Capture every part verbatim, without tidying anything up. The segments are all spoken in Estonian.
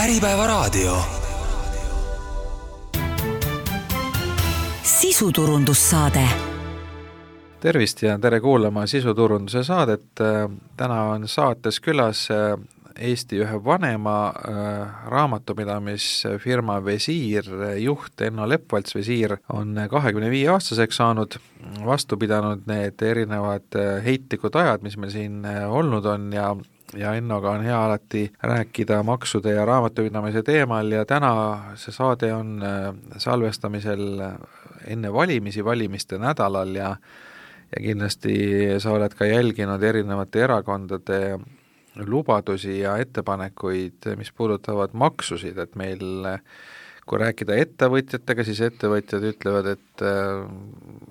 Äripäevaraadio. Sisuturundussaade. Tervist ja tere kuulama sisuturunduse saadet. Täna on saates külas Eesti ühe vanema raamatupidamisfirma Visiir juht Enno Lepvalts. Visiir on kahekümne viie aastaseks saanud, vastu pidanud need erinevad heitlikud ajad, mis meil siin olnud on ja ja Ennoga on hea alati rääkida maksude ja raamatupidamise teemal ja täna see saade on salvestamisel enne valimisi, valimiste nädalal ja ja kindlasti sa oled ka jälginud erinevate erakondade lubadusi ja ettepanekuid, mis puudutavad maksusid, et meil, kui rääkida ettevõtjatega, siis ettevõtjad ütlevad, et äh,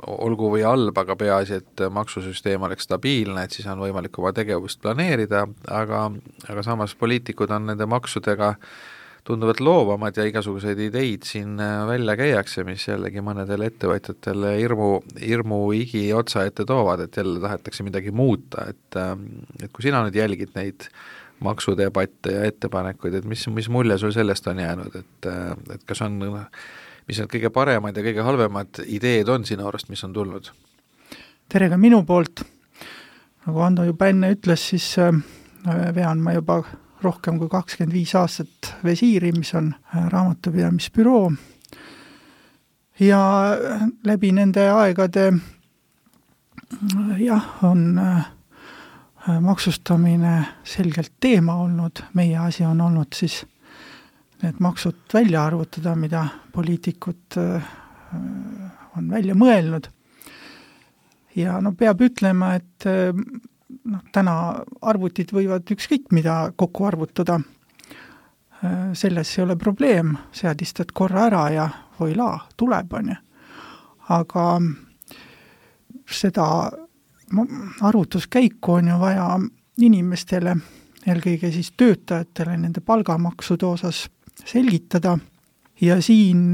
olgu või halb, aga peaasi, et maksusüsteem oleks stabiilne, et siis on võimalik oma tegevust planeerida, aga, aga samas poliitikud on nende maksudega tunduvad loovamad ja igasuguseid ideid siin välja käiakse, mis jällegi mõnedele ettevõtjatele hirmu, hirmu igi otsa ette toovad, et jälle tahetakse midagi muuta, et, et kui sina nüüd jälgid neid maksudebatte ja ettepanekuid, et mis, mis mulje sul sellest on jäänud, et, et kas on, mis need kõige paremad ja kõige halvemad ideed on sinu arust, mis on tulnud? Tere ka minu poolt. Nagu Ando juba enne ütles, siis vean ma juba rohkem kui kakskümmend viis aastat Visiiri, mis on raamatupidamisbüroo. Ja läbi nende aegade jah, on maksustamine selgelt teema olnud. Meie asi on olnud siis need maksud välja arvutada, mida poliitikud on välja mõelnud. Ja no peab ütlema, et noh, täna arvutid võivad ükskõik mida kokku arvutada. Selles ei ole probleem, seadistad korra ära ja voila, tuleb on. Aga seda arvutuskäiku on ju vaja inimestele, eelkõige siis töötajatele nende palgamaksude osas selgitada. Ja siin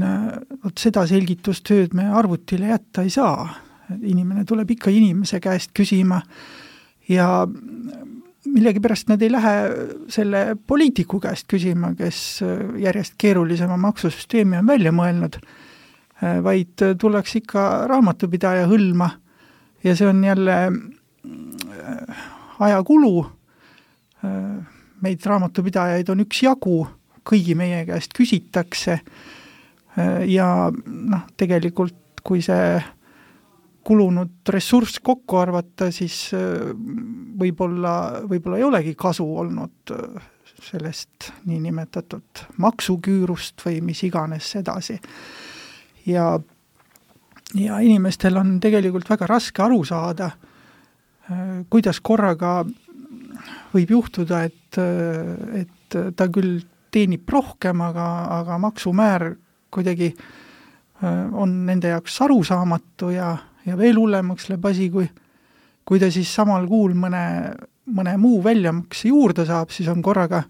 seda selgitustööd me arvutile jätta ei saa. Inimene tuleb ikka inimese käest küsima ja millegi pärast nad ei lähe selle poliitiku käest küsima, kes järjest keerulisema maksusüsteemi on välja mõelnud, vaid tuleks ikka raamatupidaja hõlma ja see on jälle ajakulu. Meid raamatupidajaid on üks jagu, kõigi meie käest küsitakse ja noh, tegelikult kui see kulunud ressurss kokku arvata, siis võib-olla, võib-olla ei olegi kasu olnud sellest niinimetatud maksuküürust või mis iganes edasi. Ja, ja inimestel on tegelikult väga raske aru saada, kuidas korraga võib juhtuda, et, et ta küll teenib rohkem, aga, aga maksumäär kuidagi on nende jaoks arusaamatu ja ja veel hullemaks läheb asi, kui, kui ta siis samal kuul mõne, mõne muu väljamakse juurde saab, siis on korraga,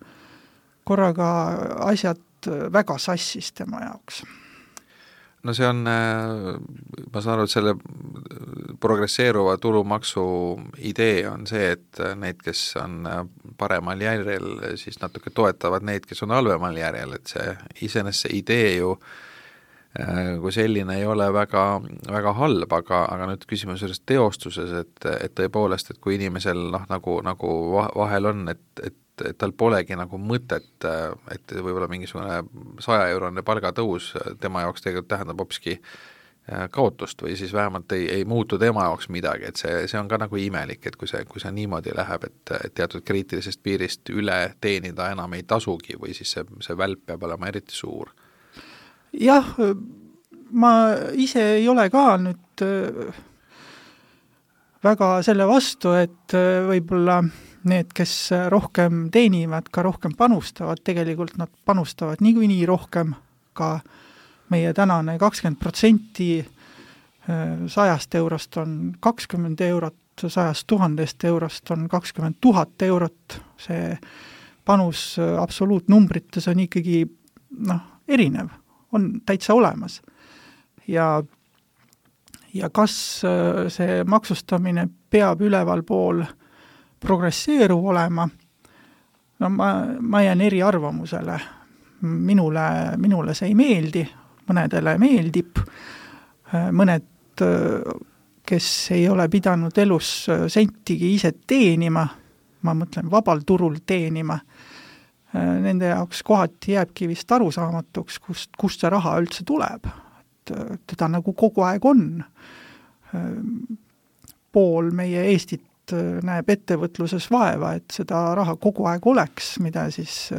korraga asjad väga sassis tema jaoks. No see on, ma saan aru, et selle progresseeruva tulumaksu idee on see, et need, kes on paremal järjel, siis natuke toetavad neid, kes on halvemal järjel, et see iseenesest see idee ju kui selline ei ole väga, väga halb, aga, aga nüüd küsimus sellest teostuses, et, et tõepoolest, et kui inimesel noh, nagu, nagu vahel on, et, et, et tal polegi nagu mõtet, et võib-olla mingisugune saja eurone palgatõus tema jaoks tegelikult tähendab hopski kaotust või siis vähemalt ei, ei muutu tema jaoks midagi, et see, see on ka nagu imelik, et kui see, kui see niimoodi läheb, et, et teatud kriitilisest piirist üle teenida enam ei tasugi või siis see, see välp peab olema eriti suur. Jah, ma ise ei ole ka nüüd väga selle vastu, et võib-olla need, kes rohkem teenivad, ka rohkem panustavad, tegelikult nad panustavad niikuinii rohkem, ka meie tänane kakskümmend protsenti sajast eurost on kakskümmend eurot, sajast tuhandest eurost on kakskümmend tuhat eurot, see panus absoluutnumbrites on ikkagi noh, erinev. On täitsa olemas. Ja, ja kas see maksustamine peab üleval pool progresseeruv olema, no ma, ma jään eri arvamusele. minule, minule see ei meeldi, mõnedele meeldib, mõned, kes ei ole pidanud elus sentigi ise teenima, ma mõtlen vabal turul teenima, nende jaoks kohati jääbki vist arusaamatuks, kust, kust see raha üldse tuleb. Et teda nagu kogu aeg on. Pool meie Eestit näeb ettevõtluses vaeva, et seda raha kogu aeg oleks, mida siis,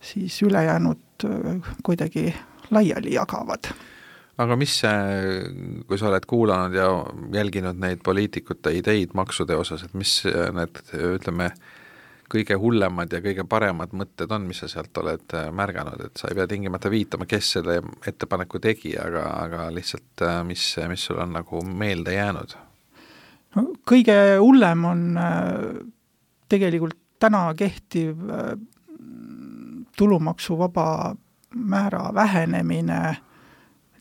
siis ülejäänud kuidagi laiali jagavad. Aga mis see, kui sa oled kuulanud ja jälginud neid poliitikute ideid maksude osas, et mis need, ütleme, kõige hullemad ja kõige paremad mõtted on, mis sa sealt oled märganud, et sa ei pea tingimata viitama, kes selle ettepaneku tegi, aga, aga lihtsalt mis, mis sul on nagu meelde jäänud? No, kõige hullem on tegelikult täna kehtiv tulumaksuvaba määra vähenemine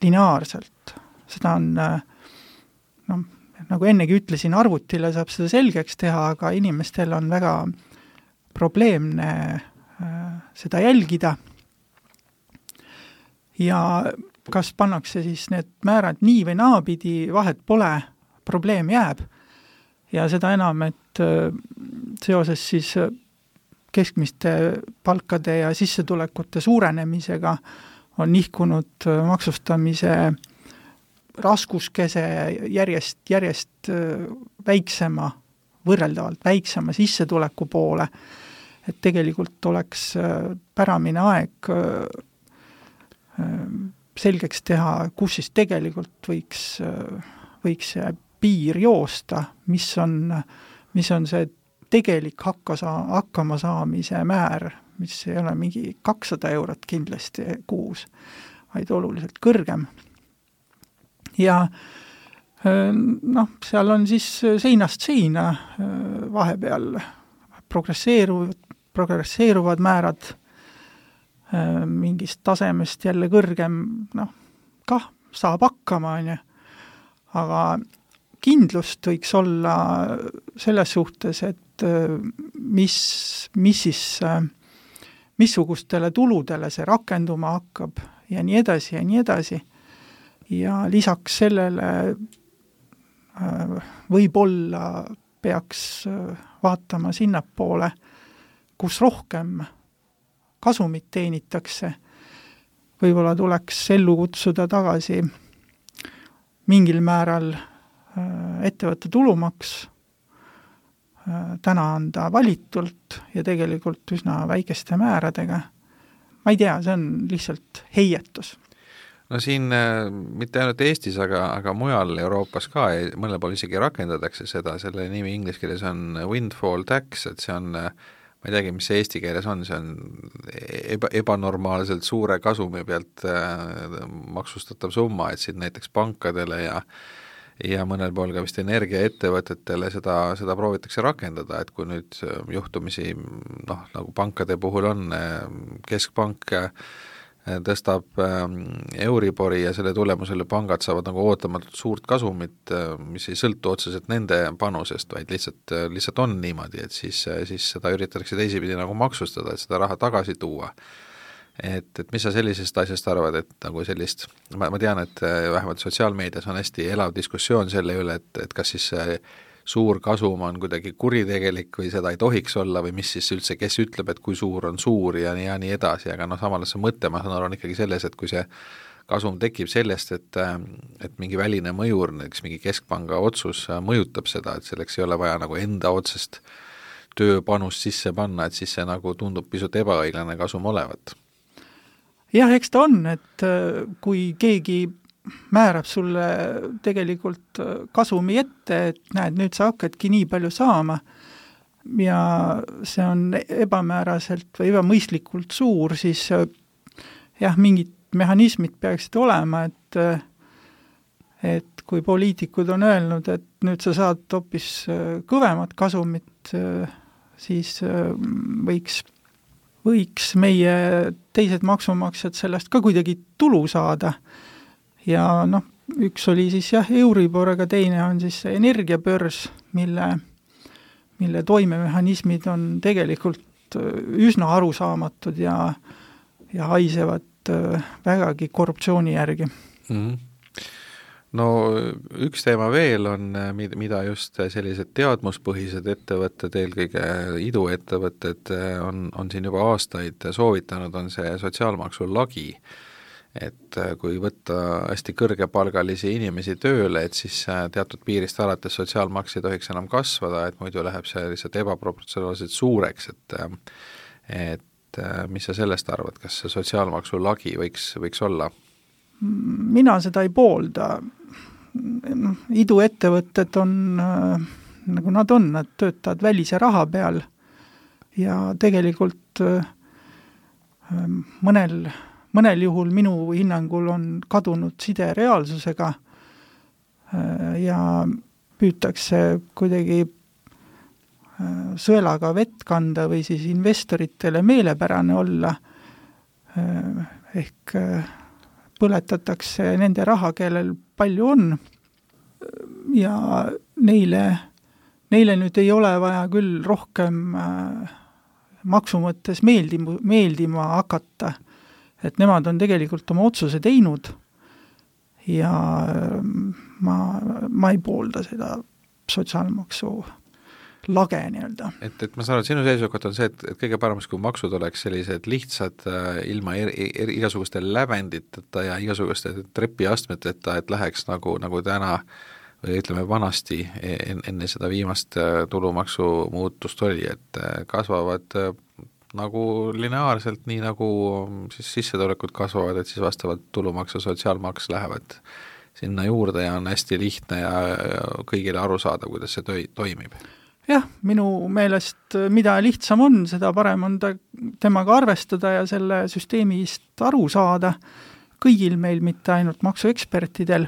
lineaarselt. Seda on, no, nagu ennegi ütlesin, arvutile saab seda selgeks teha, aga inimestel on väga probleemne seda jälgida. Ja kas pannakse siis need määrad nii või naapidi, vahet pole, probleem jääb. Ja seda enam, et seoses siis keskmiste palkade ja sissetulekute suurenemisega on nihkunud maksustamise raskuskese järjest, järjest väiksema, võrreldavalt väiksema sissetuleku poole, et tegelikult oleks päramine aeg selgeks teha, kus siis tegelikult võiks, võiks see piir joosta, mis on, mis on see tegelik hakka saa, hakkama saamise määr, mis ei ole mingi kakssada eurot kindlasti kuus, vaid oluliselt kõrgem. Ja noh, seal on siis seinast seina vahepeal progresseeruvad, progresseeruvad määrad mingist tasemest jälle kõrgem, noh, kah saab hakkama, on ju. Aga kindlust võiks olla selles suhtes, et mis, mis siis missugustele tuludele see rakenduma hakkab ja nii edasi ja nii edasi. Ja lisaks sellele võib-olla peaks vaatama sinnapoole, kus rohkem kasumit teenitakse. Võib-olla tuleks ellu kutsuda tagasi mingil määral ettevõtte tulumaks, täna anda valitult ja tegelikult üsna väikeste määradega. Ma ei tea, see on lihtsalt heietus. No siin mitte ainult Eestis, aga, aga mujal Euroopas ka, mõnel pool isegi rakendatakse seda, selle nimi inglise keeles on windfall tax, et see on, ma ei teagi, mis see eesti keeles on, see on eba, ebanormaalselt suure kasumi pealt maksustatav summa, et siin näiteks pankadele ja ja mõnel pool ka vist energiaettevõtetele seda, seda proovitakse rakendada, et kui nüüd juhtumisi, noh, nagu pankade puhul on, keskpank tõstab Euribori ja selle tulemusele pangad saavad nagu ootamatult suurt kasumit, mis ei sõltu otseselt nende panusest, vaid lihtsalt, lihtsalt on niimoodi, et siis, siis seda üritatakse teisipidi nagu maksustada, et seda raha tagasi tuua. Et, et mis sa sellisest asjast arvad, et nagu sellist, ma, ma tean, et vähemalt sotsiaalmeedias on hästi elav diskussioon selle üle, et, et kas siis suur kasum on kuidagi kuritegelik või seda ei tohiks olla või mis siis üldse, kes ütleb, et kui suur on suur ja nii, ja nii edasi, aga noh, samal see mõte, ma saan aru, on ikkagi selles, et kui see kasum tekib sellest, et, et mingi väline mõjur, näiteks mingi keskpanga otsus mõjutab seda, et selleks ei ole vaja nagu enda otsest tööpanust sisse panna, et siis see nagu tundub pisut ebaõiglane kasum olevat. Jah, eks ta on, et kui keegi määrab sulle tegelikult kasumi ette, et näed, nüüd sa hakkadki nii palju saama ja see on ebamääraselt või ebamõistlikult suur, siis jah, mingid mehhanismid peaksid olema, et, et kui poliitikud on öelnud, et nüüd sa saad hoopis kõvemat kasumit, siis võiks võiks meie teised maksumaksjad sellest ka kuidagi tulu saada. Ja noh, üks oli siis jah Euribor, aga teine on siis energiabörs, mille, mille toimemehhanismid on tegelikult üsna arusaamatud ja ja haisevad vägagi korruptsiooni järgi. Mm-hmm. No üks teema veel on, mida just sellised teadmuspõhised ettevõtted, eelkõige iduettevõtted on, on siin juba aastaid soovitanud, on see sotsiaalmaksu lagi. Et kui võtta hästi kõrgepalgalisi inimesi tööle, et siis teatud piirist alates sotsiaalmaks ei tohiks enam kasvada, et muidu läheb see lihtsalt ebaproportsionaalselt suureks, et, et mis sa sellest arvad, kas see sotsiaalmaksu lagi võiks, võiks olla? Mina seda ei poolda. Iduettevõtted on äh, nagu nad on, nad töötavad välise raha peal ja tegelikult äh, mõnel, mõnel juhul minu hinnangul on kadunud side reaalsusega äh, ja püütakse kuidagi äh, sõelaga vett kanda või siis investoritele meelepärane olla äh, ehk äh, põletatakse nende raha, kellel palju on ja neile, neile nüüd ei ole vaja küll rohkem äh, maksu mõttes meeldima, meeldima hakata, et nemad on tegelikult oma otsuse teinud ja äh, ma, ma ei poolda seda sotsiaalmaksu lage nii-öelda. Et, et ma saan aru, sinu seisukoht on see, et, et kõige paremas, kui maksud oleks sellised lihtsad äh, ilma er, er, igasuguste lävenditeta ja igasuguste trepiastmeteta, et läheks nagu, nagu täna või ütleme vanasti en, enne seda viimast äh, tulumaksu muutust oli, et äh, kasvavad äh, nagu lineaarselt, nii nagu siis sissetulekud kasvavad, et siis vastavalt tulumaks ja sotsiaalmaks lähevad sinna juurde ja on hästi lihtne ja, ja kõigile aru saada, kuidas see toi, toimib. Jah, minu meelest mida lihtsam on, seda parem on ta, temaga arvestada ja selle süsteemist aru saada kõigil meil, mitte ainult maksuekspertidel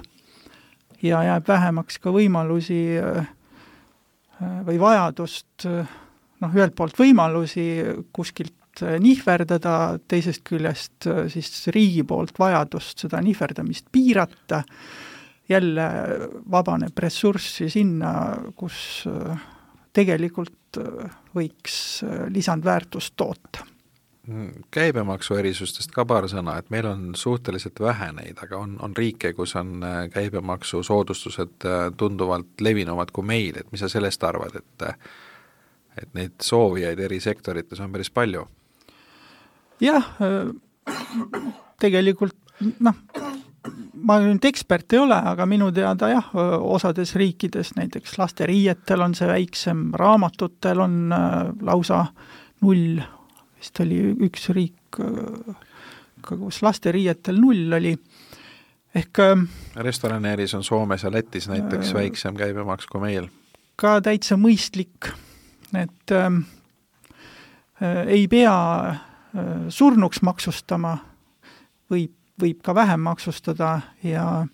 ja jääb vähemaks ka võimalusi või vajadust, noh, ühelt poolt võimalusi kuskilt nihverdada, teisest küljest siis riigi poolt vajadust seda nihverdamist piirata, jälle vabaneb ressurssi sinna, kus tegelikult võiks lisandväärtust toota. Käibemaksu erisustest ka paar sõna, et meil on suhteliselt vähe neid, aga on, on riike, kus on käibemaksu soodustused tunduvalt levinumad kui meil, et mis sa sellest arvad, et, et neid soovijaid eri sektorites on päris palju? Jah, tegelikult noh, ma nüüd ekspert ei ole, aga minu teada jah, osades riikides, näiteks lasteriietel on see väiksem, raamatutel on lausa null, vist oli üks riik, kus lasteriietel null oli. Ehk restoraneeris on Soomes ja Lätis näiteks äh, väiksem käibemaks kui meil. Ka täitsa mõistlik, et äh, ei pea äh, surnuks maksustama, võib võib ka vähem maksustada ja,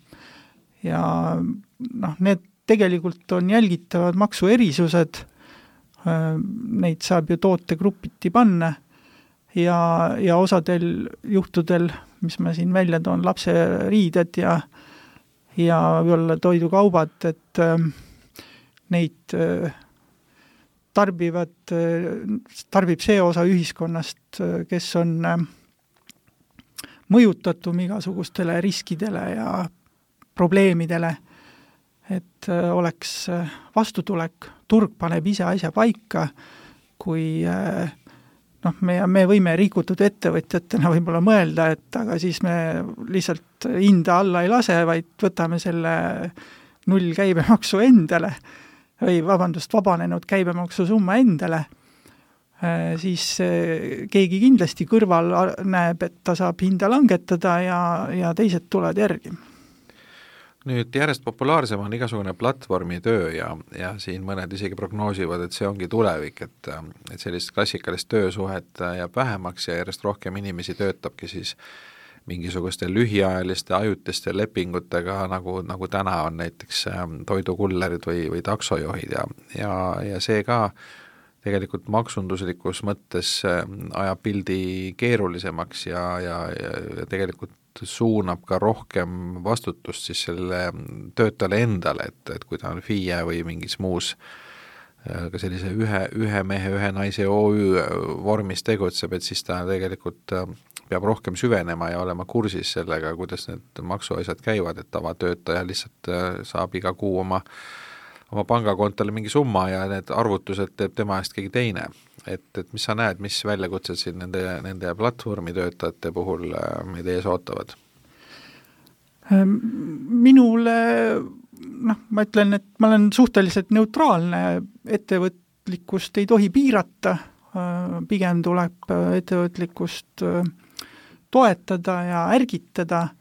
ja noh, need tegelikult on jälgitavad maksuerisused, neid saab ju tootegrupiti panna ja, ja osadel juhtudel, mis ma siin välja toon, lapse riided ja, ja võib-olla toidukaubad, et neid tarbivad, tarbib see osa ühiskonnast, kes on mõjutatum igasugustele riskidele ja probleemidele, et oleks vastutulek, turg paneb ise asja paika, kui noh, me, me võime rikutud ettevõtjatena võib-olla mõelda, et aga siis me lihtsalt hinda alla ei lase, vaid võtame selle null käibemaksu endale või vabandust, vabanenud käibemaksu summa endale, siis keegi kindlasti kõrval näeb, et ta saab hinda langetada ja, ja teised tulevad järgi. Nüüd järjest populaarsem on igasugune platvormitöö ja, ja siin mõned isegi prognoosivad, et see ongi tulevik, et, et sellist klassikalist töösuhet jääb vähemaks ja järjest rohkem inimesi töötabki siis mingisuguste lühiajaliste ajutiste lepingutega, nagu, nagu täna on näiteks toidukullerid või, või taksojuhid ja, ja, ja see ka tegelikult maksunduslikus mõttes ajab pildi keerulisemaks ja, ja, ja tegelikult suunab ka rohkem vastutust siis selle töötajale endale, et, et kui ta on F I E või mingis muus ka sellise ühe, ühe mehe, ühe naise O Ü vormis tegutseb, et siis ta tegelikult peab rohkem süvenema ja olema kursis sellega, kuidas need maksuasjad käivad, et tavatöötaja lihtsalt saab iga kuu oma, oma pangakontole mingi summa ja need arvutused teeb tema eest keegi teine. Et, et mis sa näed, mis väljakutsed siin nende, nende platvormitöötajate puhul meid ees ootavad? Minule noh, ma ütlen, et ma olen suhteliselt neutraalne, ettevõtlikkust ei tohi piirata, pigem tuleb ettevõtlikkust toetada ja ärgitada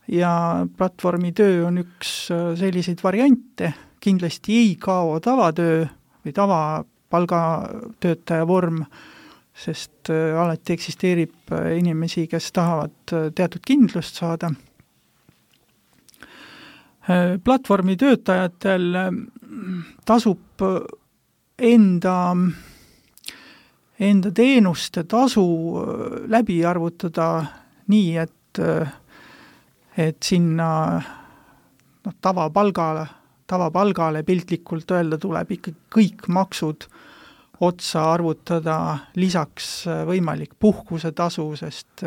ja platvormi töö on üks selliseid variante, kindlasti ei kao tavatöö või tavapalgatöötaja vorm, sest alati eksisteerib inimesi, kes tahavad teatud kindlust saada. Platvormi töötajatel tasub enda, enda teenuste tasu läbi arvutada nii, et, et sinna no, tavapalgale, tavapalgale piltlikult öelda tuleb ikka kõik maksud otsa arvutada, lisaks võimalik puhkuse tasu, sest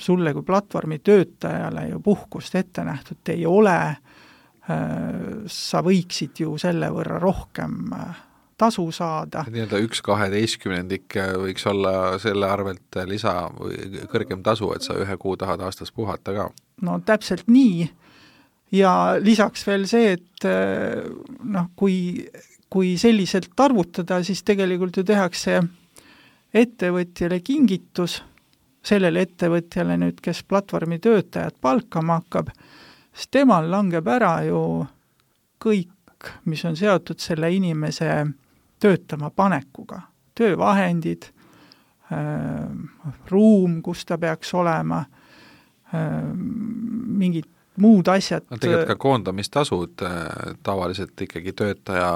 sulle kui platvormi töötajale ju puhkust ette nähtud ei ole, sa võiksid ju selle võrra rohkem tasu saada. Nii-öelda üks kaheteistkümnendik võiks olla selle arvelt lisa või kõrgem tasu, et sa ühe kuu tahad aastas puhata ka. No täpselt nii ja lisaks veel see, et noh, kui, kui selliselt arvutada, siis tegelikult ju tehakse ettevõtjale kingitus, sellele ettevõtjale nüüd, kes platvormi töötajad palkama hakkab, siis temal langeb ära ju kõik, mis on seotud selle inimese töötama panekuga. Töövahendid, äh, ruum, kus ta peaks olema, äh, mingid muud asjad. No tegelikult ka koondamistasud tavaliselt ikkagi töötaja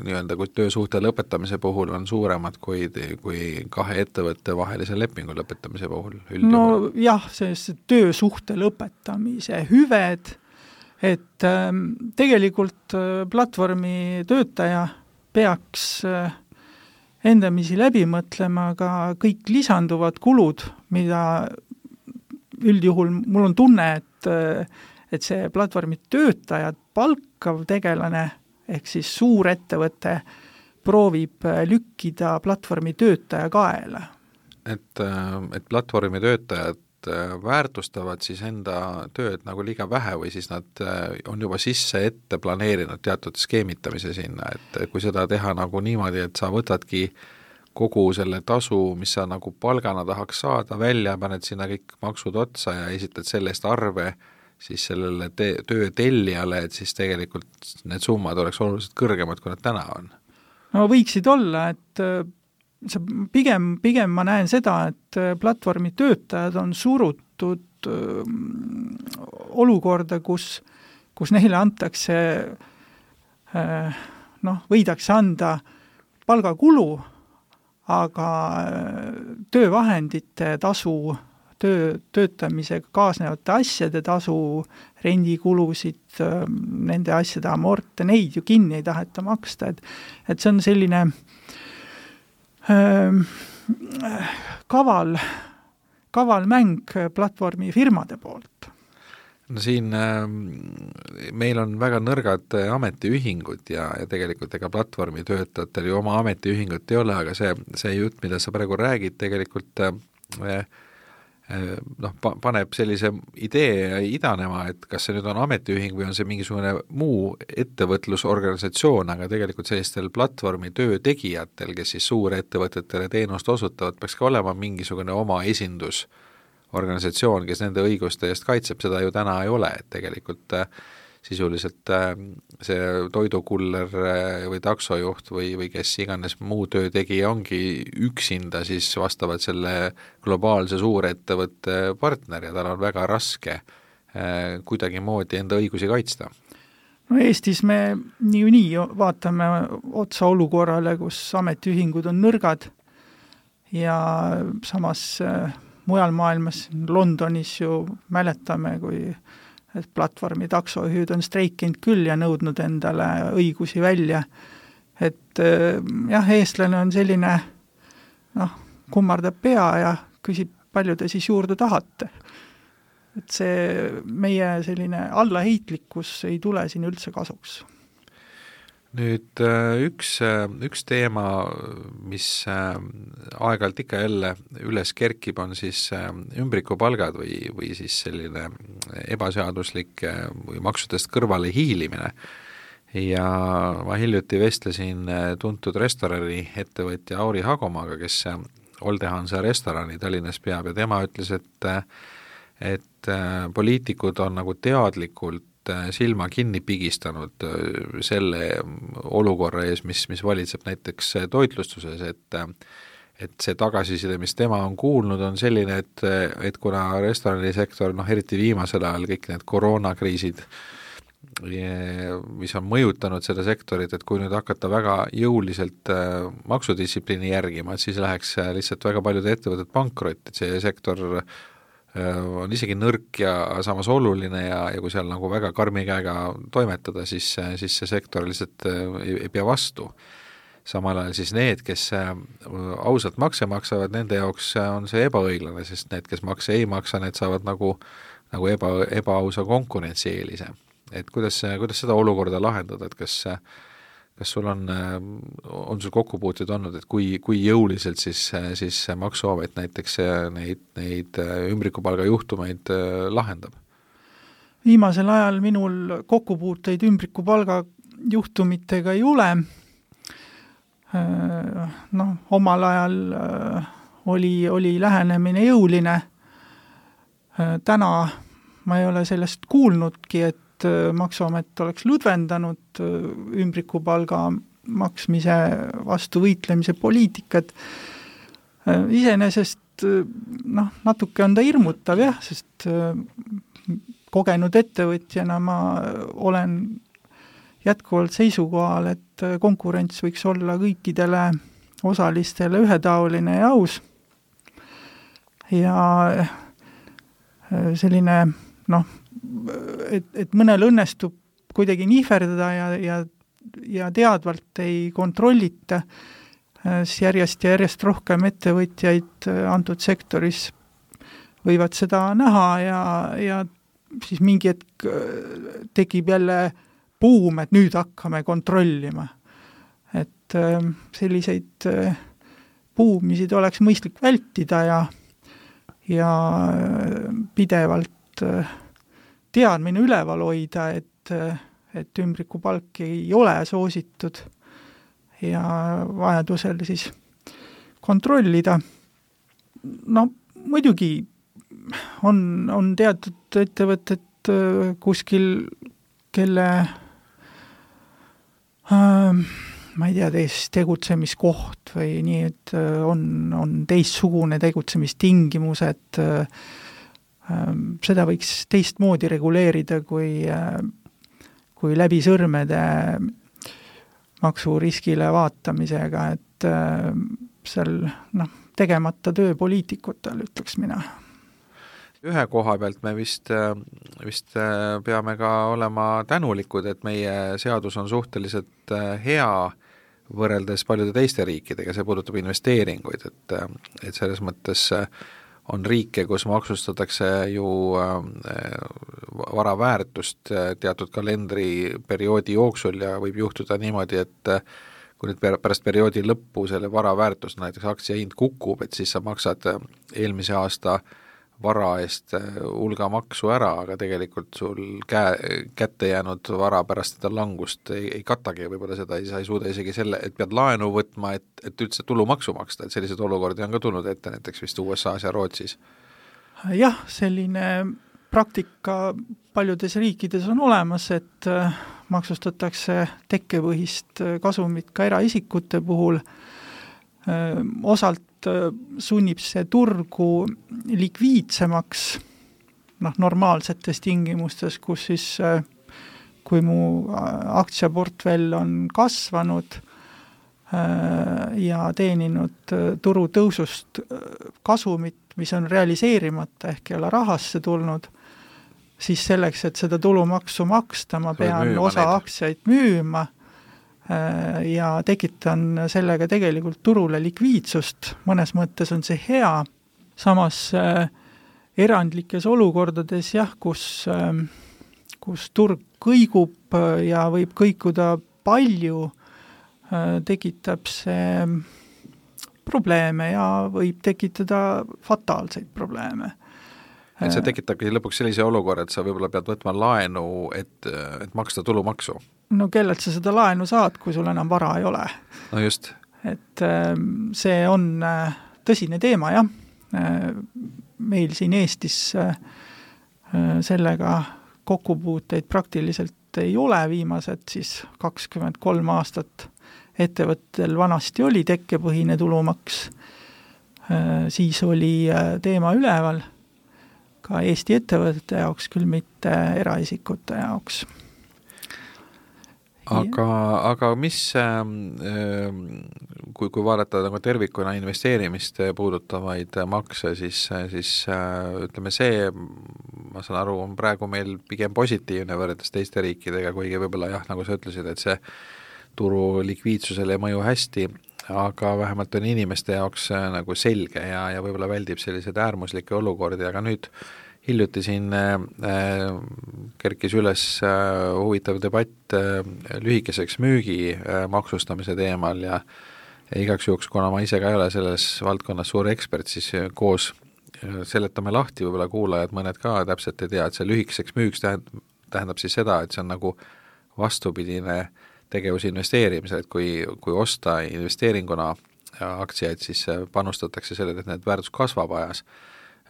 nii-öelda, kui töösuhte lõpetamise puhul on suuremad kui, kui kahe ettevõtte vahelise lepingu lõpetamise puhul. Üldjuhul. No jah, see töösuhte lõpetamise hüved, et äh, tegelikult platvormi töötaja peaks äh, endamisi läbi mõtlema ka kõik lisanduvad kulud, mida üldjuhul mul on tunne, et et see platvormi töötajad palkav tegelane, ehk siis suur ettevõte, proovib lükkida platvormi töötaja kaela. Et, et platvormi töötajad väärtustavad siis enda tööd nagu liiga vähe või siis nad on juba sisse ette planeerinud teatud skeemitamise sinna, et kui seda teha nagu niimoodi, et sa võtadki kogu selle tasu, mis sa nagu palgana tahaks saada, välja, paned sinna kõik maksud otsa ja esitad sellest arve siis sellele te- töö tellijale, et siis tegelikult need summad oleks oluliselt kõrgemad, kui nad täna on. No võiksid olla, et see pigem, pigem ma näen seda, et platvormi töötajad on surutud olukorda, kus, kus neile antakse, noh, võidakse anda palgakulu, aga töövahendite tasu, töö, töötamisega kaasnevate asjade tasu, rendikulusid, nende asjade amorte, neid ju kinni ei taheta maksta, et, et see on selline äh, kaval, kaval mäng platvormi firmade poolt. No siin äh, meil on väga nõrgad ametiühingud ja, ja tegelikult ega platvormi töötajatel ju oma ametiühingut ei ole, aga see, see jutt, mida sa praegu räägid, tegelikult äh, noh, paneb sellise idee idanema, et kas see nüüd on ametiühing või on see mingisugune muu ettevõtlusorganisatsioon, aga tegelikult sellistel platvormi töötegijatel, kes siis suurettevõtetele teenust osutavad, peaks ka olema mingisugune oma esindusorganisatsioon, kes nende õiguste eest kaitseb, seda ju täna ei ole, et tegelikult sisuliselt see toidukuller või taksojuht või, või kes iganes muu töötegija ongi üksinda siis vastavalt selle globaalse suurettevõtte partner ja tal on väga raske kuidagi moodi enda õigusi kaitsta. No Eestis me niikuinii vaatame otsa olukorrale, kus ametiühingud on nõrgad ja samas mujal maailmas, Londonis ju mäletame, kui et platvormi taksojuhid on streikinud küll ja nõudnud endale õigusi välja, et jah, eestlane on selline, noh, kummardab pea ja küsib, palju te siis juurde tahate. Et see meie selline allaheitlikkus ei tule siin üldse kasuks. Nüüd üks, üks teema, mis aeg-ajalt ikka jälle üles kerkib, on siis ümbrikupalgad või, või siis selline ebaseaduslik või maksudest kõrvale hiilimine. Ja ma hiljuti vestlesin tuntud restorani ettevõtja Auri Hagomaaga, kes Oldehansa restorani Tallinnas peab ja tema ütles, et, et poliitikud on nagu teadlikult silma kinni pigistanud selle olukorra ees, mis, mis valitseb näiteks toitlustuses, et, et see tagasiside, mis tema on kuulnud, on selline, et, et kuna restoranisektor, noh eriti viimasel ajal kõik need koroonakriisid, mis on mõjutanud seda sektorit, et kui nüüd hakata väga jõuliselt maksudistsipliini järgima, et siis läheks lihtsalt väga paljud ettevõtted pankrot, et see sektor on isegi nõrk ja samas oluline ja, ja kui seal nagu väga karmi käega toimetada, siis, siis see sektor lihtsalt ei, ei pea vastu. Samal ajal siis need, kes ausalt makse maksavad, nende jaoks on see ebaõiglane, sest need, kes makse ei maksa, need saavad nagu, nagu eba, ebaausa konkurentsieelise. Et kuidas, kuidas seda olukorda lahendada, et kas kas sul on, on sul kokkupuuted olnud, et kui, kui jõuliselt siis, siis maksuamet näiteks neid, neid ümbrikupalga juhtumeid lahendab? Viimasel ajal minul kokkupuuteid ümbrikupalga juhtumitega ei ole. Noh, omal ajal oli, oli lähenemine jõuline. Täna ma ei ole sellest kuulnudki, et maksuamet oleks lõdvendanud ümbrikupalga maksmise vastu võitlemise poliitikat. Iseenesest noh, natuke on ta hirmutav jah, sest kogenud ettevõtjana ma olen jätkuvalt seisukohal, et konkurents võiks olla kõikidele osalistele ühetaoline ja aus. Ja selline noh, et, et mõnel õnnestub kuidagi nihverdada ja, ja, ja teadvalt ei kontrollita, siis järjest ja järjest rohkem ettevõtjaid antud sektoris võivad seda näha ja, ja siis mingi hetk tekib jälle buum, et nüüd hakkame kontrollima. Et selliseid buumisid oleks mõistlik vältida ja, ja pidevalt teadmine üleval hoida, et, et ümbrikupalk ei ole soositud ja vajadusel siis kontrollida. No muidugi on, on teatud ettevõtted kuskil, kelle äh, ma ei tea, teist tegutsemiskoht või nii, et on, on teistsugune tegutsemistingimused, seda võiks teistmoodi reguleerida kui, kui läbi sõrmede maksuriskile vaatamisega, et seal noh, tegemata töö poliitikutel, ütleks mina. Ühe koha pealt me vist, vist peame ka olema tänulikud, et meie seadus on suhteliselt hea võrreldes paljude teiste riikidega, see puudutab investeeringuid, et, et selles mõttes on riike, kus maksustatakse ju vara väärtust teatud kalendriperioodi jooksul ja võib juhtuda niimoodi, et kui nüüd pärast perioodi lõppu selle vara väärtus, näiteks aktsia hind kukub, et siis sa maksad eelmise aasta vara eest hulga maksu ära, aga tegelikult sul käe, kätte jäänud vara pärast seda langust ei, ei katagi võib-olla seda, sa ei suuda isegi selle, et pead laenu võtma, et, et üldse tulumaksu maksta, et sellised olukordi on ka tulnud ette näiteks vist U S A-s ja Rootsis. Jah, selline praktika paljudes riikides on olemas, et maksustatakse tekkepõhist kasumit ka eraisikute puhul. Osalt sunnib see turgu likviidsemaks noh, normaalsetes tingimustes, kus siis kui mu aktsiaportfell on kasvanud ja teeninud turu tõusust kasumit, mis on realiseerimata ehk ei ole rahasse tulnud, siis selleks, et seda tulumaksu maksta, ma pean osa aktsiaid müüma ja tekitan sellega tegelikult turule likviidsust, mõnes mõttes on see hea, samas erandlikes olukordades jah, kus, kus turg kõigub ja võib kõikuda palju, tekitab see probleeme ja võib tekitada fataalseid probleeme. Et see tekitabki lõpuks sellise olukorra, et sa võib-olla pead võtma laenu, et, et maksta tulumaksu. No kellelt sa seda laenu saad, kui sul enam vara ei ole? No just. Et see on tõsine teema, jah. Meil siin Eestis sellega kokkupuuteid praktiliselt ei ole, viimased siis kakskümmend kolm aastat ettevõttel vanasti oli tekkepõhine tulumaks, siis oli teema üleval ka Eesti ettevõtete jaoks, küll mitte eraisikute jaoks. Aga, aga mis, kui, kui vaadata nagu tervikuna investeerimist puudutavaid makse, siis, siis ütleme see, ma saan aru, on praegu meil pigem positiivne võrreldes teiste riikidega, kuigi võib-olla jah, nagu sa ütlesid, et see turu likviidsusele ei mõju hästi, aga vähemalt on inimeste jaoks nagu selge ja, ja võib-olla väldib sellised äärmuslikke olukordi, aga nüüd hiljuti siin äh, kerkis üles äh, huvitav debatt äh, lühikeseks müügi äh, maksustamise teemal ja, ja igaks juhuks, kuna ma ise ka ei ole selles valdkonnas suur ekspert, siis koos äh, seletame lahti, võib-olla kuulajad mõned ka täpselt ei tea, et see lühikeseks müügiks tähendab, tähendab siis seda, et see on nagu vastupidine tegevuse investeerimisel, et kui, kui osta investeeringuna aktsiaid, siis panustatakse sellele, et need väärtus kasvab ajas.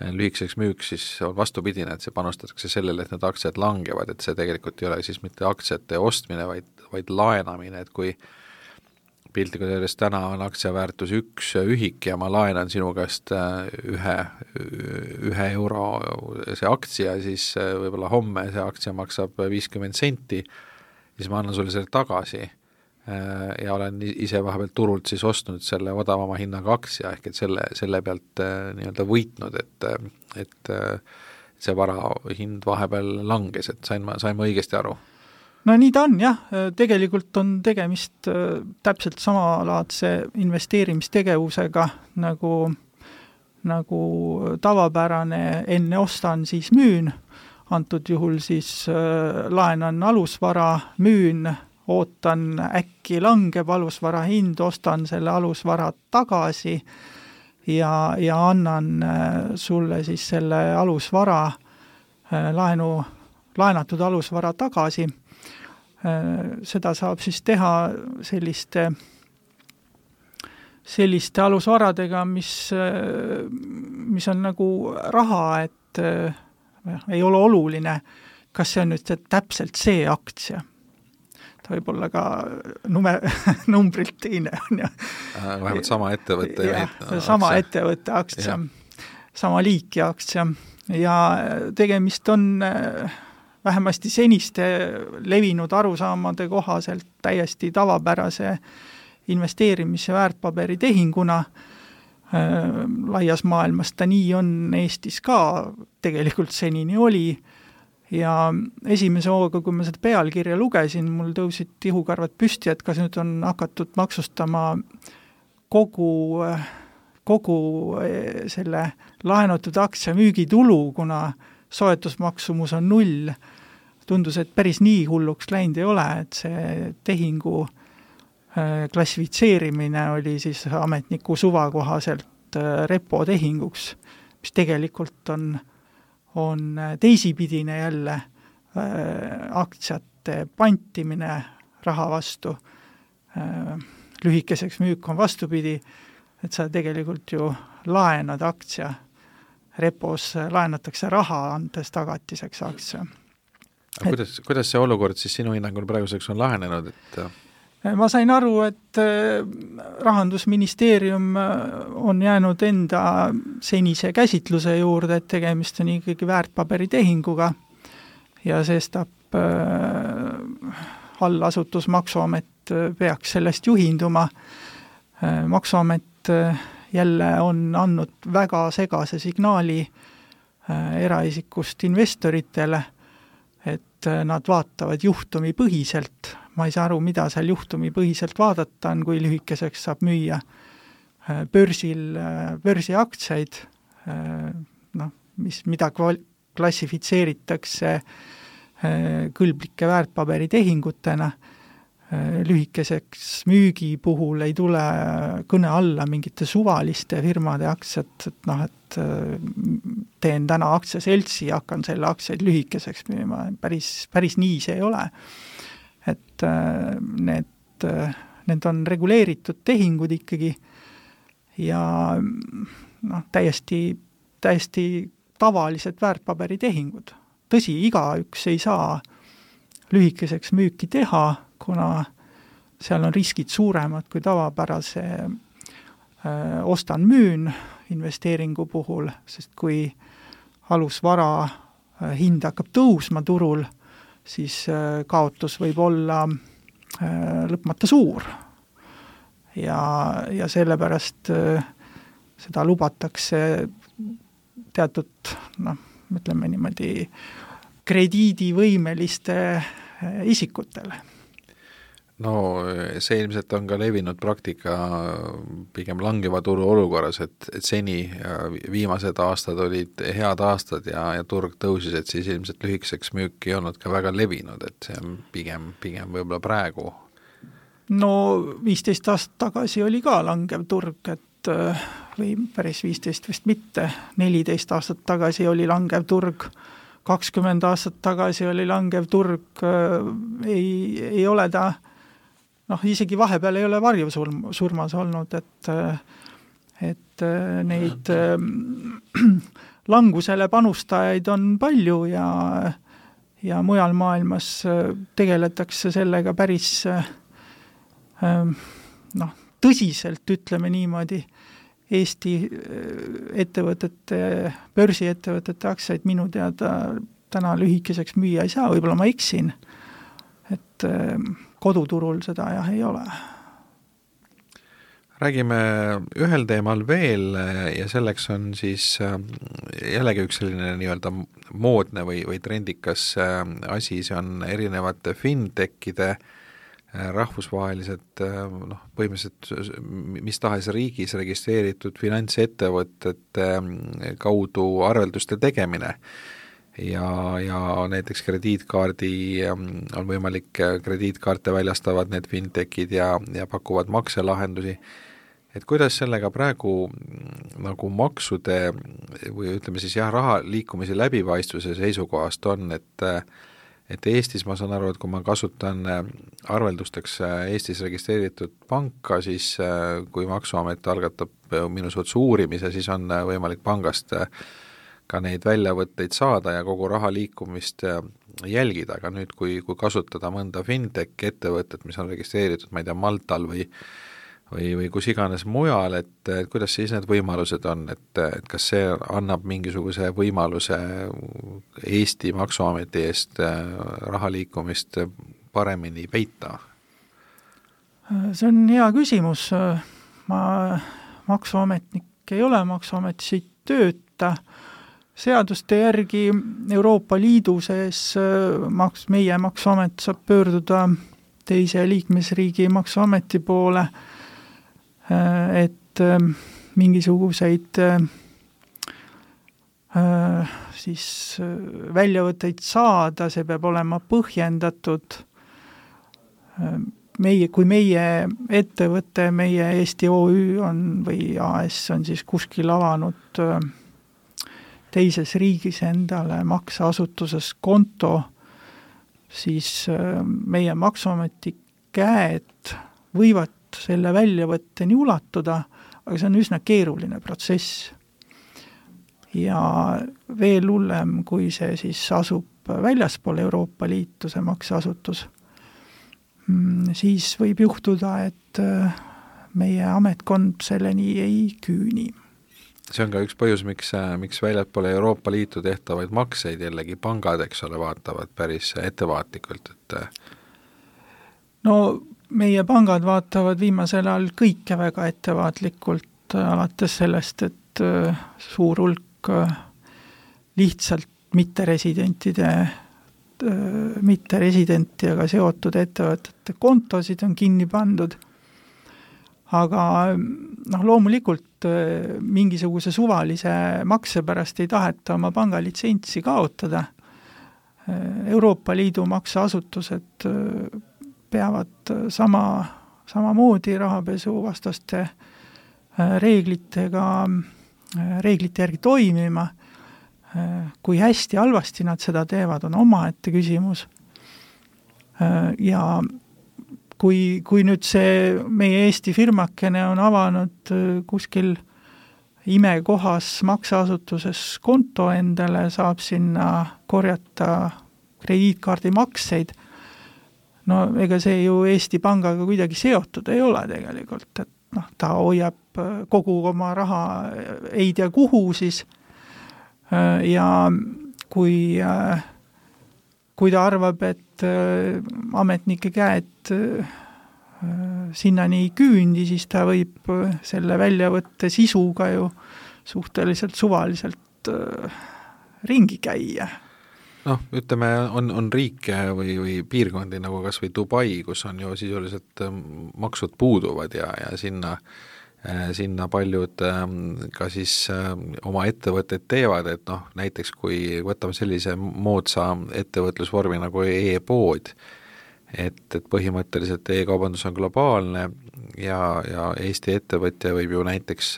Lühikeseks müüks siis on vastupidine, et see panustatakse sellele, et need aktsiad langevad, et see tegelikult ei ole siis mitte aktsiate ostmine, vaid, vaid laenamine, et kui piltlikult öeldes täna on aktsiaväärtus üks ühik ja ma laenan sinu käest ühe, ühe euro see aktsia, siis võib-olla homme see aktsia maksab viiskümmend senti, siis ma annan sulle selle tagasi ja olen ise vahepeal turult siis ostnud selle odavama hinnaga aktsia, ehk et selle, selle pealt nii-öelda võitnud, et, et see vara hind vahepeal langes, et sain ma, sain ma õigesti aru? No nii ta on, jah. Tegelikult on tegemist täpselt samalaadse investeerimistegevusega nagu, nagu tavapärane enne ostan, siis müün. Antud juhul siis laenan alusvara, müün, ootan äkki langeb alusvara hind, ostan selle alusvara tagasi ja, ja annan sulle siis selle alusvara, laenu, laenatud alusvara tagasi. Seda saab siis teha selliste, selliste alusvaradega, mis, mis on nagu raha, et ei ole oluline, kas see on nüüd see täpselt see aktsia. Ta võib olla ka nume, numbrilt teine on ja vähemalt sama ettevõtte ja, ja sama aktsia. ettevõtte aktsia, sama liiki aktsia ja tegemist on vähemasti seniste levinud arusaamade kohaselt täiesti tavapärase investeerimise väärtpaberi tehinguna. Laias maailmas ta nii on, Eestis ka tegelikult senini oli ja esimese hooga, kui ma seda pealkirja lugesin, mul tõusid tihukarvad püsti, et kas nüüd on hakatud maksustama kogu, kogu selle laenatud aktsia müügitulu, kuna soetusmaksumus on null. Tundus, et päris nii hulluks läinud ei ole, et see tehingu klassifitseerimine oli siis ametniku suva kohaselt repo tehinguks, mis tegelikult on, on teisipidine jälle aktsiate pantimine raha vastu. Lühikeseks müük on vastupidi, et sa tegelikult ju laenad aktsia, repos laenatakse raha, andes tagatiseks aktsia. Et, kuidas, kuidas see olukord siis sinu hinnangul praeguseks on lahenenud, et ma sain aru, et Rahandusministeerium on jäänud enda senise käsitluse juurde, et tegemist on ikkagi väärtpaberitehinguga ja sestap allasutus Maksuamet peaks sellest juhinduma. Maksuamet jälle on andnud väga segase signaali eraisikust investoritele, et nad vaatavad juhtumi põhiselt. ma ei saa aru, mida seal juhtumipõhiselt vaadata on, kui lühikeseks saab müüa börsil, börsiaktsiaid, noh, mis, mida klassifitseeritakse kõlblike väärtpaberitehingutena, lühikeseks müügi puhul ei tule kõne alla mingite suvaliste firmade aktsiat, et noh, et teen täna aktsiaseltsi ja hakkan selle aktsiaid lühikeseks müüma, päris, päris nii see ei ole. Et need, need on reguleeritud tehingud ikkagi ja noh, täiesti, täiesti tavalised väärtpaberitehingud. Tõsi, igaüks ei saa lühikeseks müüki teha, kuna seal on riskid suuremad kui tavapärase öö, ostan müün investeeringu puhul, sest kui alusvara öö, hind hakkab tõusma turul, siis öö, kaotus võib olla öö, lõpmata suur. Ja, ja sellepärast öö, seda lubatakse teatud, noh, ütleme niimoodi krediidivõimeliste isikutele. No see ilmselt on ka levinud praktika pigem langeva turu olukorras, et, et seni viimased aastad olid head aastad ja, ja turg tõusis, et siis ilmselt lühikeseks müük ei olnud ka väga levinud, et see on pigem, pigem võib-olla praegu. No viisteist aastat tagasi oli ka langev turg, et või päris viisteist vist mitte, neliteist aastat tagasi oli langev turg, kakskümmend aastat tagasi oli langev turg, ei, ei ole ta, noh, isegi vahepeal ei ole varjusurmas olnud, et, et neid langusele panustajaid on palju ja, ja mujal maailmas tegeletakse sellega päris noh, tõsiselt, ütleme niimoodi. Eesti ettevõtete, börsiettevõtete aktsiaid minu teada täna lühikeseks müüa ei saa, võib-olla ma eksin, et koduturul seda jah ei ole. Räägime ühel teemal veel ja selleks on siis jällegi üks selline nii-öelda moodne või, või trendikas asi, see on erinevate fintechide rahvusvahelised, noh, põhimõtteliselt mis tahes riigis registreeritud finantsettevõtete kaudu arvelduste tegemine ja, ja näiteks krediitkaardi on võimalik, krediitkaarte väljastavad need fintechid ja, ja pakuvad makselahendusi. Et kuidas sellega praegu nagu maksude või ütleme siis jah, raha liikumise läbipaistvuse seisukohast on, et et Eestis ma saan aru, et kui ma kasutan arveldusteks Eestis registreeritud panka, siis kui Maksuamet algatab minu suhtes uurimise, siis on võimalik pangast ka neid väljavõtteid saada ja kogu raha liikumist jälgida, aga nüüd kui, kui kasutada mõnda fintech ettevõtet, mis on registreeritud, ma ei tea, Maltal või või, või kus iganes mujal, et, et kuidas siis need võimalused on, et, et kas see annab mingisuguse võimaluse Eesti Maksuameti eest raha liikumist paremini peita? See on hea küsimus. Ma maksuametnik ei ole, Maksuametis ei tööta. Seaduste järgi Euroopa Liidu sees maks, meie Maksuamet saab pöörduda teise liikmesriigi Maksuameti poole, et mingisuguseid siis väljavõtteid saada, see peab olema põhjendatud. Meie, kui meie ettevõte, meie Eesti O Ü on või A S on siis kuskil avanud teises riigis endale makseasutuses konto, siis meie Maksuameti käed võivad selle väljavõtteni ulatuda, aga see on üsna keeruline protsess. Ja veel hullem, kui see siis asub väljaspool Euroopa Liitu, see makseasutus, siis võib juhtuda, et meie ametkond selleni ei küüni. See on ka üks põhjus, miks, miks väljaspool Euroopa Liitu tehtavaid makseid jällegi pangad, eks ole, vaatavad päris ettevaatlikult, et no meie pangad vaatavad viimasel ajal kõike väga ettevaatlikult, alates sellest, et suur hulk lihtsalt mitteresidentide mitte residentiga seotud ettevõtete kontosid on kinni pandud, aga noh, loomulikult mingisuguse suvalise makse pärast ei taheta oma pangalitsentsi kaotada. Euroopa Liidu makseasutused peavad sama, samamoodi rahapesu vastaste reeglitega, reeglite järgi toimima. Kui hästi halvasti nad seda teevad, on omaette küsimus. Ja kui, kui nüüd see meie Eesti firmakene on avanud kuskil imekohas makseasutuses konto endale, saab sinna korjata krediitkaardi makseid, no ega see ju Eesti Pangaga kuidagi seotud ei ole tegelikult, et noh, ta hoiab kogu oma raha ei tea kuhu siis, ja kui, kui ta arvab, et ametnike käed sinnani ei küündi, siis ta võib selle väljavõtte sisuga ju suhteliselt suvaliselt ringi käia. Noh, ütleme, on, on riike või, või piirkondi nagu kas või Dubai, kus on ju sisuliselt maksud puuduvad ja, ja sinna sinna paljud ka siis oma ettevõtted teevad, et noh, näiteks kui võtame sellise moodsa ettevõtlusvormi nagu e-pood, et, et põhimõtteliselt e-kaubandus on globaalne ja, ja Eesti ettevõtja võib ju näiteks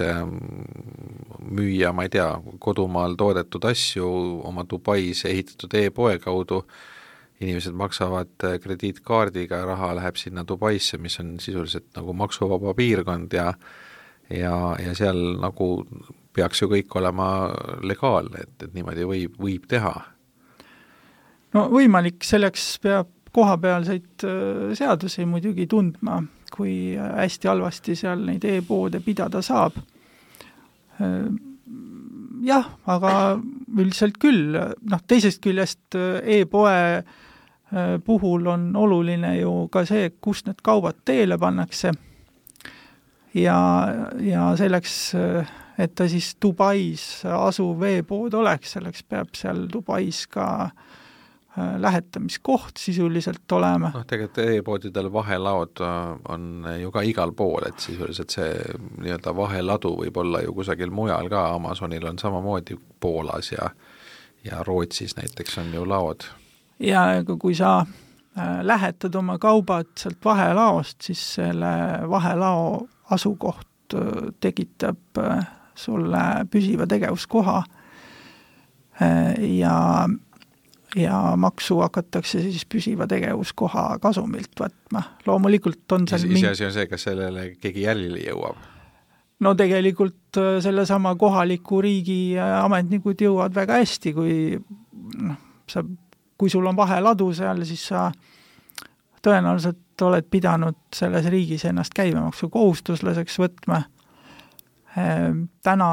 müüa, ma ei tea, kodumaal toodetud asju oma Dubais ehitatud e-poe kaudu, inimesed maksavad krediitkaardiga, raha läheb sinna Dubaisse, mis on sisuliselt nagu maksuvaba piirkond ja ja, ja seal nagu peaks ju kõik olema legaalne, et, et niimoodi võib, võib teha. No võimalik, selleks peab kohapealseid seadusi muidugi tundma, kui hästi halvasti seal neid e-poode pidada saab. Jah, aga üldiselt küll, noh, teisest küljest e-poe puhul on oluline ju ka see, kust need kaubad teele pannakse. Ja, ja selleks, et ta siis Dubais asuv e-pood oleks, selleks peab seal Dubais ka lähetamiskoht sisuliselt olema. Noh, tegelikult e-poodidel vahelaod on ju ka igal pool, et sisuliselt see nii-öelda vaheladu võib olla ju kusagil mujal ka, Amazonil on samamoodi Poolas ja, ja Rootsis näiteks on ju laod. Ja kui sa lähetad oma kaubad sealt vahelaost, siis selle vahelao asukoht tekitab sulle püsiva tegevuskoha ja, ja maksu hakatakse siis püsiva tegevuskoha kasumilt võtma. Loomulikult on seal mingi... Ise on see, kas sellele keegi jälile jõuab? No tegelikult selle sama kohaliku riigi ametnikud jõuavad väga hästi, kui, no, sa, kui sul on vaheladu seal, siis sa tõenäoliselt oled pidanud selles riigis ennast käibemaksu kohustuslaseks võtma. Täna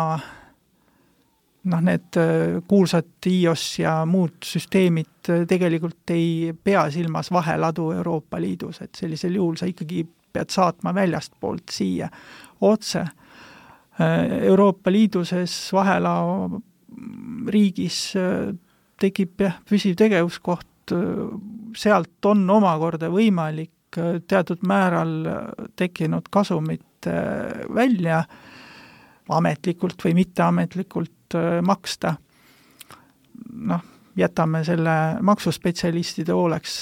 noh, need kuulsad I O S ja muud süsteemid tegelikult ei pea silmas vaheladu Euroopa Liidus, et sellisel juhul sa ikkagi pead saatma väljast poolt siia otse. Euroopa Liiduses vahelao riigis tekib jah, püsiv tegevuskoht, sealt on omakorda võimalik teatud määral tekkinud kasumit välja ametlikult või mitteametlikult maksta. Noh, jätame selle maksuspetsialistide hooleks,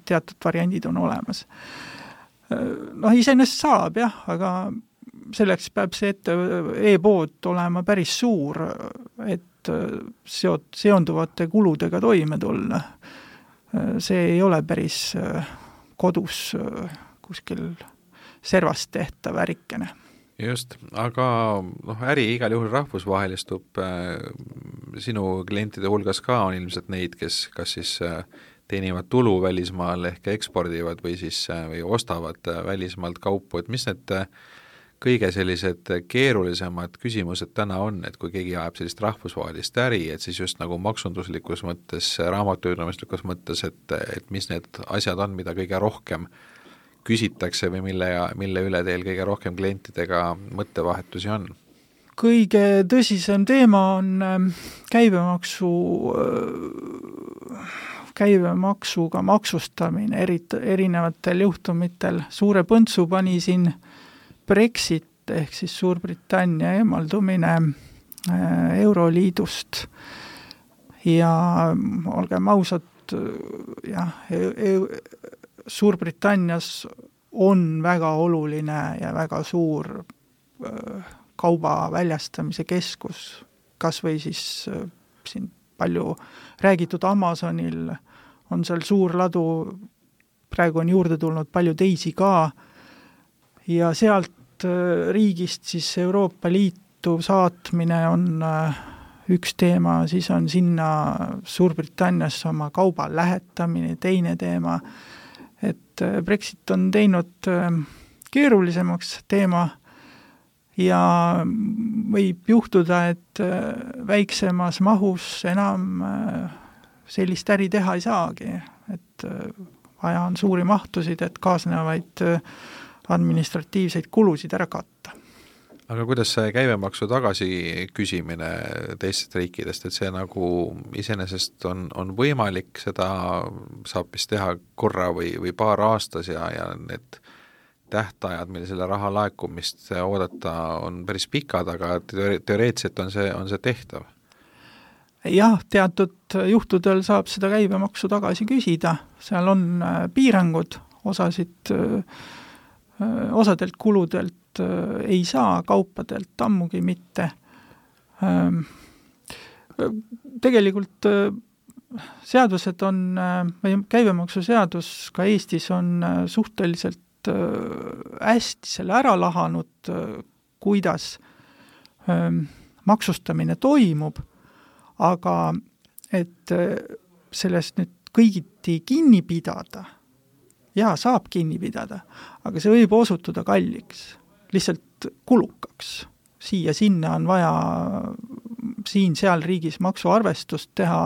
teatud variandid on olemas. Noh, iseenesest saab jah, aga selleks peab see ette e-pood olema päris suur, et seot, seonduvate kuludega toime tulla. See ei ole päris kodus kuskil servast tehtav ärikene. Just, aga noh, äri igal juhul rahvusvahelistub, sinu klientide hulgas ka on ilmselt neid, kes kas siis teenivad tulu välismaal ehk ekspordivad või siis või ostavad välismaalt kaupu, et mis need kõige sellised keerulisemad küsimused täna on, et kui keegi ajab sellist rahvusvahelist äri, et siis just nagu maksunduslikus mõttes, raamatupidamislikus mõttes, et, et mis need asjad on, mida kõige rohkem küsitakse või mille, mille üle teil kõige rohkem klientidega mõttevahetusi on? Kõige tõsisem teema on käibemaksu käibemaksuga maksustamine eri, erinevatel juhtumitel. Suure põntsu pani siin Brexit ehk siis Suurbritannia eemaldumine Euroliidust ja olgem ausad, jah, Suurbritannias on väga oluline ja väga suur kauba väljastamise keskus, kas või siis siin palju räägitud Amazonil on seal suur ladu, praegu on juurde tulnud palju teisi ka ja sealt riigist siis Euroopa Liitu saatmine on üks teema, siis on sinna Suurbritanniasse oma kauba lähetamine, teine teema, et Brexit on teinud keerulisemaks teema ja võib juhtuda, et väiksemas mahus enam sellist äri teha ei saagi, et vaja on suuri mahtusid, et kaasnevaid administratiivseid kulusid ära katta. Aga kuidas see käibemaksu tagasi küsimine teistest riikidest, et see nagu iseenesest on, on võimalik, seda saab vist teha korra või, või paar aastas ja, ja need tähtajad, mille selle raha laekumist oodata, on päris pikad, aga teoreetselt on see, on see tehtav? Jah, teatud juhtudel saab seda käibemaksu tagasi küsida, seal on piirangud, osasid osadelt kuludelt ei saa, kaupadelt ammugi mitte. Tegelikult seadused on, või käibemaksuseadus ka Eestis on suhteliselt hästi selle ära lahanud, kuidas maksustamine toimub, aga et sellest nüüd kõigiti kinni pidada, jaa, saab kinni pidada, aga see võib osutuda kalliks, lihtsalt kulukaks. Siia-sinna on vaja siin-seal riigis maksuarvestust teha,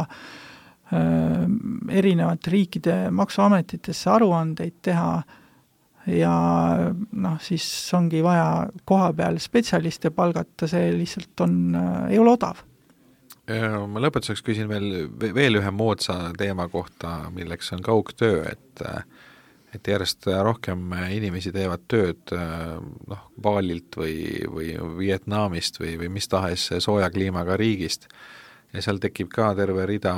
erinevate riikide maksuametitesse aruandeid teha ja noh, siis ongi vaja koha peal spetsialiste palgata, see lihtsalt on, ei ole odav. Ma lõpetuseks küsin veel, veel ühe moodsa teema kohta, milleks on kaugtöö, et et järjest rohkem inimesi teevad tööd noh, Baalilt või, või Vietnamist või, või mis tahes sooja kliimaga riigist ja seal tekib ka terve rida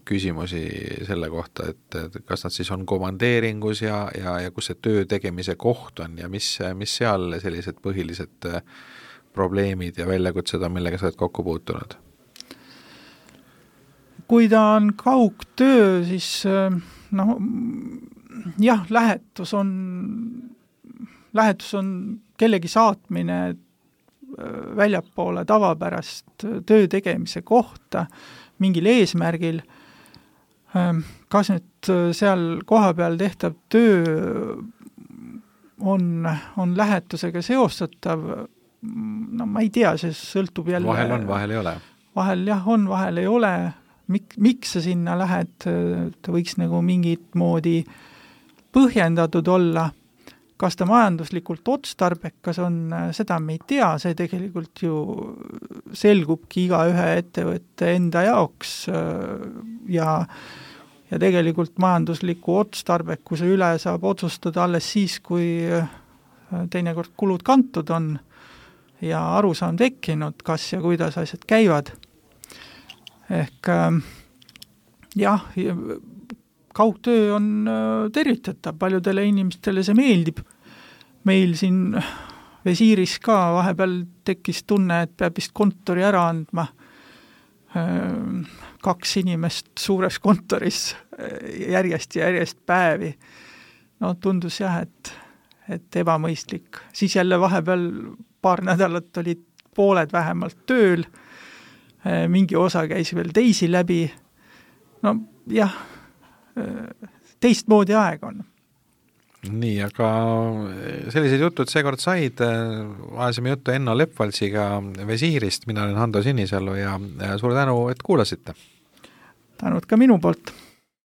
küsimusi selle kohta, et, et kas nad siis on komandeeringus ja, ja, ja kus see töö tegemise koht on ja mis, mis seal sellised põhilised probleemid ja väljakutsed on, millega sa oled kokku puutunud? Kui ta on kaugtöö, siis noh, jah, lähetus on, lähetus on kellegi saatmine väljapoole tavapärast töö tegemise kohta mingil eesmärgil. Kas nüüd seal kohapeal tehtav töö on, on lähetusega seostatav? No ma ei tea, see sõltub jälle. Vahel on, vahel ei ole. Vahel jah on, vahel ei ole. Mik, miks sa sinna lähed? Ta võiks nagu mingit moodi põhjendatud olla, kas ta majanduslikult otstarbekas on, seda me ei tea, see tegelikult ju selgubki iga ühe ettevõtte enda jaoks ja, ja tegelikult majandusliku otstarbekuse üle saab otsustada alles siis, kui teinekord kulud kantud on ja arusaam tekkinud, kas ja kuidas asjad käivad. Ehk jah, kaugtöö on tervitatav, paljudele inimestele see meeldib. Meil siin Visiiris ka vahepeal tekkis tunne, et peab vist kontori ära andma. Kaks inimest suures kontoris järjest ja järjest päevi. No tundus jah, et, et ebamõistlik. Siis jälle vahepeal paar nädalat olid pooled vähemalt tööl, mingi osa käis veel teisi läbi. No jah, teistmoodi aeg on. Nii, aga sellised jutud seekord said, ajasime juttu Enno Lepvaltsiga Visiirist, mina olen Hando Sinisalu ja suur tänu, et kuulasite. Tänud ka minu poolt.